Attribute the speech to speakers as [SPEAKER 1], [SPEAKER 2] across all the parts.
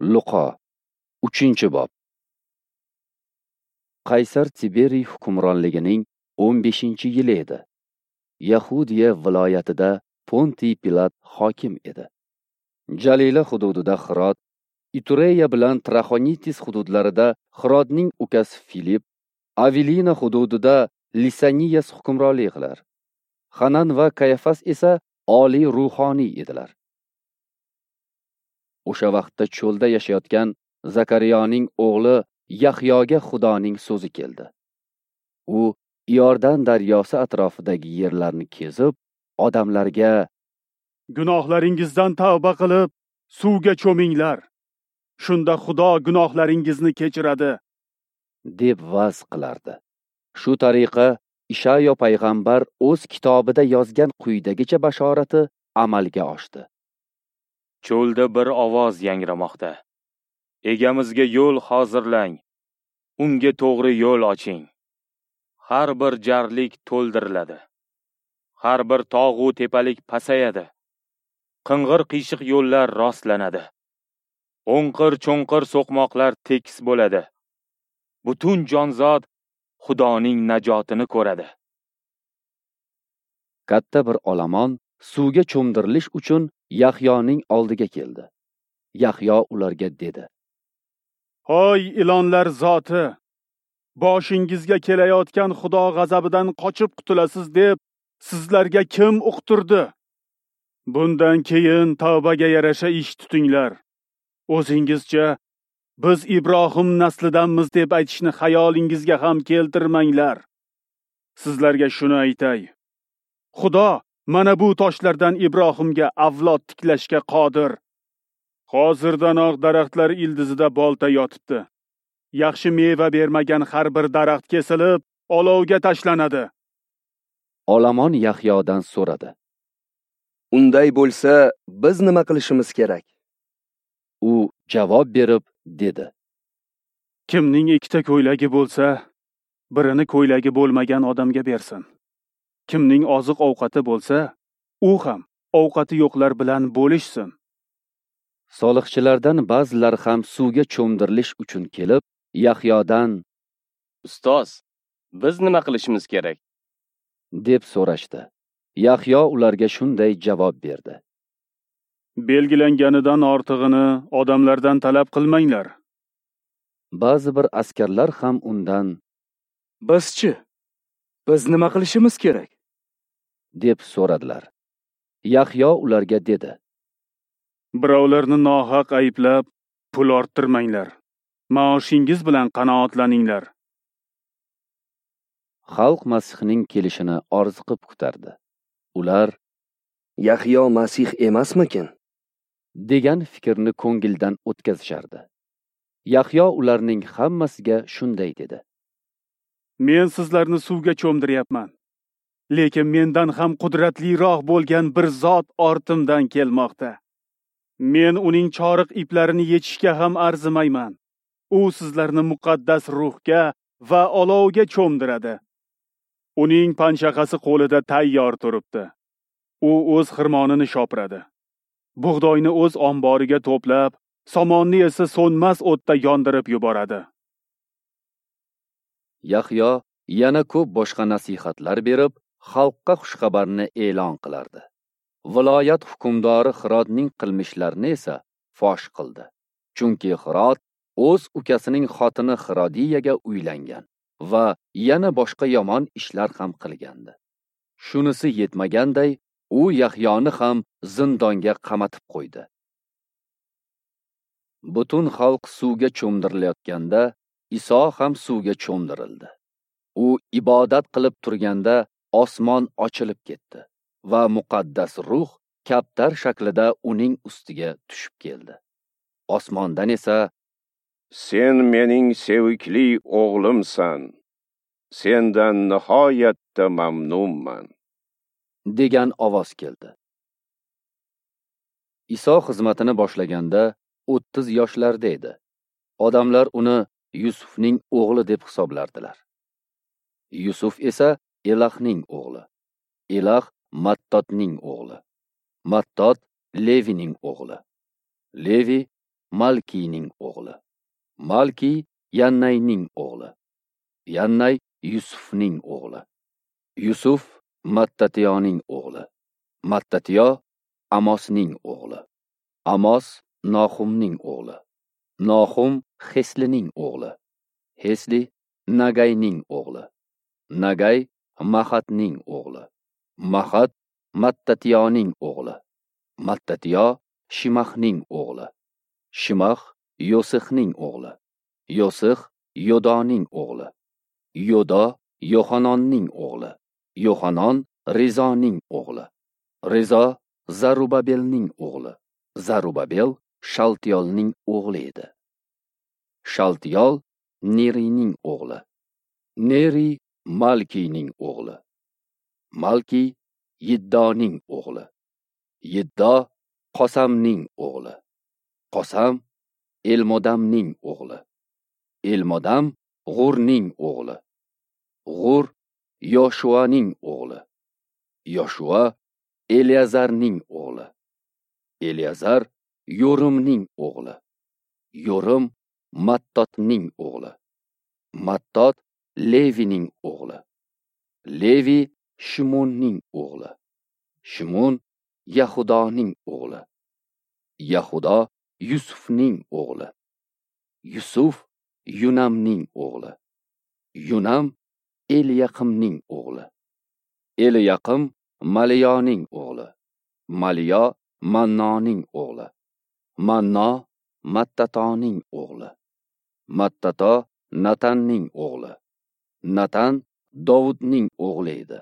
[SPEAKER 1] Luqo, 3-bob. Qaysar Tiberiy hukmronligining 15-yili edi. Yahudiya viloyatida Pontiy Pilat hokim edi. Jalila hududida Xirod, Itureya bilan Traxonitis hududlarida Xirodning ukasi Filip, Avilina hududida Lisaniyas hukmronlik qilar. Hanan va Kayafas esa oliy ruhoniy edilar. O'sha vaqtda cho'lda yashayotgan Zakariyoning o'g'li Yahyoga Xudoning so'zi keldi. U Iordan daryosi atrofidagi yerlarni kezib, odamlarga:
[SPEAKER 2] "Gunohlaringizdan tavba qilib, suvga cho'minglar. Shunda Xudo gunohlaringizni kechiradi",
[SPEAKER 1] deb va'z qilardi. Shu tariqa Ishayo payg'ambar o'z kitobida yozgan quyidagicha bashorati amalga oshdi.
[SPEAKER 3] Cho'lda bir ovoz yangramoqda. Egamizga yo'l hozirlang, unga to'g'ri yo'l oching. Har bir jarlik to'ldiriladi. Har bir tog'u tepalik pasayadi. Qing'ir-qiyshiq yo'llar rostlanadi. O'nqir-cho'nqir so'qmoqlar tekis bo'ladi. Butun jonzot Xudoning najotini ko'radi.
[SPEAKER 1] Katta bir olomon suvga cho'mdirilish uchun Yahyoning oldiga keldi. Yahyo ularga dedi:
[SPEAKER 2] "Hoy ilonlar zoti, boshingizga kelayotgan Xudo g'azabidan qochib qutulasiz deb sizlarga kim uqtirdi? Bundan keyin tavbaga yarasha ish tutinglar. O'zingizcha biz Ibrohim naslidanmiz deb aytishni xayolingizga ham keltirmanglar. Sizlarga shuni aytay: Xudo mana bu toshlardan Ibrohimga avlod tiklashga qodir. Hozirdanoq daraxtlar ildizida bolta yotibdi. Yaxshi meva bermagan har bir daraxt kesilib, olovga tashlanadi."
[SPEAKER 1] Olomon Yahyodan so'radi:
[SPEAKER 4] "Unday bo'lsa, biz nima qilishimiz kerak?"
[SPEAKER 1] U javob berib dedi:
[SPEAKER 2] "Kimning ikkita ko'ylagi bo'lsa, birini ko'ylagi bo'lmagan odamga bersin. Kimning oziq-ovqati bo'lsa, u ham ovqati yo'qlar bilan bo'lishsin."
[SPEAKER 1] Soliqchilardan ba'zilari ham suvga cho'mdirilish uchun kelib, Yahyodan:
[SPEAKER 5] "Ustoz, biz nima qilishimiz kerak?"
[SPEAKER 1] deb so'rashdi. Yahyo ularga shunday javob berdi:
[SPEAKER 2] "Belgilanganidan ortig'ini odamlardan talab qilmanglar."
[SPEAKER 1] Ba'zi bir askarlar ham undan:
[SPEAKER 6] "Bizchi, biz nima qilishimiz kerak?"
[SPEAKER 1] deb so'radilar. Yahyo ularga dedi:
[SPEAKER 2] "Birovlarni nohaq ayblab pul orttirmanglar. Maoshingiz bilan qanoatlaninglar."
[SPEAKER 1] Xalq Masihning kelishini orziqib kutardi. Ular:
[SPEAKER 4] "Yahyo Masih emasmikin?"
[SPEAKER 1] degan fikrni ko'ngildan o'tkazishardi. Yahyo ularning hammasiga shunday dedi:
[SPEAKER 2] "Men sizlarni suvga cho'mdiryapman. Lekin mendan ham qudratliroq bo'lgan bir zot ortimdan kelmoqda. Men uning choriq iplarini yechishga ham arzimayman. U sizlarni muqaddas ruhga va olovga cho'mdiradi. Uning panshaqasi qo'lida tayyor turibdi. U o'z xirmonini shopiradi. Bug'doyni o'z omboriga to'plab, somonni esa so'nmas o'tda yondirib yuboradi."
[SPEAKER 1] Yahyo yana ko'p boshqa nasihatlar berib, xalqqa xushxabarni e'lon qilardi. Viloyat hukmdori Xirodning qilmishlarini esa fosh qildi. Chunki Xirod o'z ukasining xotini Xirodiyaga uylangan va yana boshqa yomon ishlar ham qilgandi. Shunisi yetmaganday, u Yahyoni ham zindonga qamatib qo'ydi. Butun xalq suvga cho'mdirilayotganda, Iso ham suvga cho'mdirildi. U ibodat qilib turganda osmon ochilib ketdi va muqaddas ruh kaptar shaklida uning ustiga tushib keldi. Osmondan esa:
[SPEAKER 7] "Sen mening sevikli o'g'limsan. Sendan nihoyatda mamnunman"
[SPEAKER 1] degan ovoz keldi. Iso xizmatini boshlaganda 30 yoshlarda edi. Odamlar uni Yusufning o'g'li deb hisoblardilar. Yusuf esa Elahning o'g'li. Elah Mattotning o'g'li. Mattot Levining o'g'li. Levi Malkiyning o'g'li, Malkiy Yannayning o'g'li, Yannay Yusufning o'g'li, Yusuf Mattatiyoning o'g'li, Mattatiyo Amosning o'g'li, Amos Nohumning o'g'li, Nohum Heslining o'g'li, Hesli Nagayning o'g'li, Nagay Mahatning o'g'li, Mahat Mattatiyoning o'g'li, Mattatiyo Shimahning o'g'li, Shimah Yosixning o'g'li, Yosix Yodoning o'g'li, Yodo Yohanonning o'g'li, Yohanon Rizoning o'g'li, Rizo Zarubabelning o'g'li, Zarubabel Shaltiyolning o'g'li edi. Shaltiyol Neriyning o'g'li, Neriy Malkiyning o'g'li, Malkiy Yiddoning o'g'li, Yiddo Qosamning o'g'li, Qosam Elmodamning o'g'li, Elmodam G'urning o'g'li, G'ur Yoshuaning o'g'li, Yoshua Eliazarning o'g'li, Eliazar Yorimning o'g'li, Yorim Mattotning o'g'li, Mattot Levining o'g'li, Levi Shimonning o'g'li, Shimon Yahudoning o'g'li, Yahudo Yusufning o'g'li, Yusuf Yunamning o'g'li, Yunam Eliyaqimning o'g'li, Eliyaqim Maliyoning o'g'li, Maliyo Mannoning o'g'li, Manno Mattatoning o'g'li, Mattato Natanning o'g'li, Natan Dovudning o'g'li edi.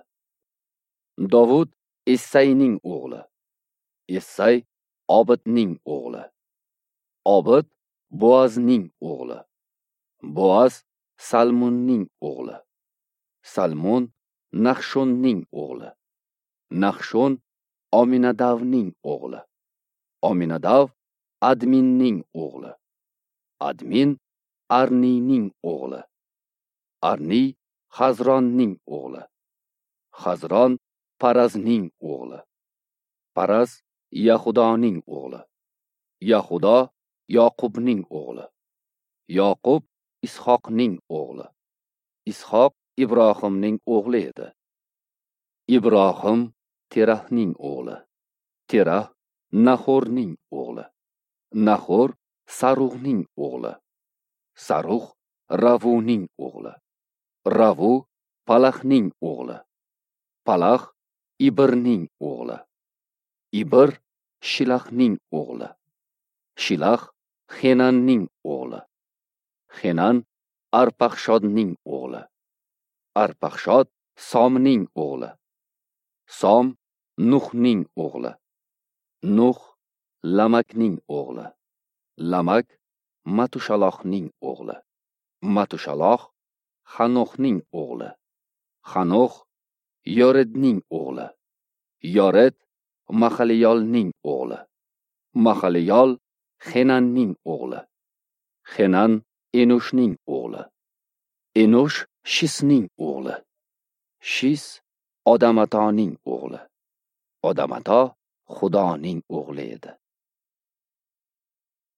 [SPEAKER 1] Dovud Essayning o'g'li, Essay Obidning o'g'li, Obid Boazning o'g'li, Boaz Salmonning o'g'li, Salmon Nahshonning o'g'li, Nahshon Ominadavning o'g'li, Ominadav Adminning o'g'li, Admin Arniyning o'g'li, Arniy Hazronning o'g'li, Hazron Parazning o'g'li, Paraz Yahudoning o'g'li, Yahudo Yoqubning o'g'li, Yoqub Ishoqning o'g'li, Ishoq Ibrohimning o'g'li edi. Ibrohim Terahning o'g'li, Terah Nahorning o'g'li, Nahor Saruhning o'g'li, Saruh Ravuning o'g'li, Ravu Palahning o'g'li, Palah Ibirning o'g'li, Ibir Shilahning o'g'li, Shilah Xenanning o'g'li, Xenan Arpaxshodning o'g'li, Arpaxshod Somning o'g'li, Som Nuhning o'g'li, Nuh Lamakning o'g'li, Lamak Matushaloxning o'g'li, Matushalox Hanoxning o'g'li, Hanox Yoredning o'g'li, Yored Mahaliyolning o'g'li, Mahaliyol Xenanning o'g'li, Xenan Enoshning o'g'li, Enosh Shisning o'g'li, Shis Odamatoning o'g'li, Odamato Xudoning o'g'li edi.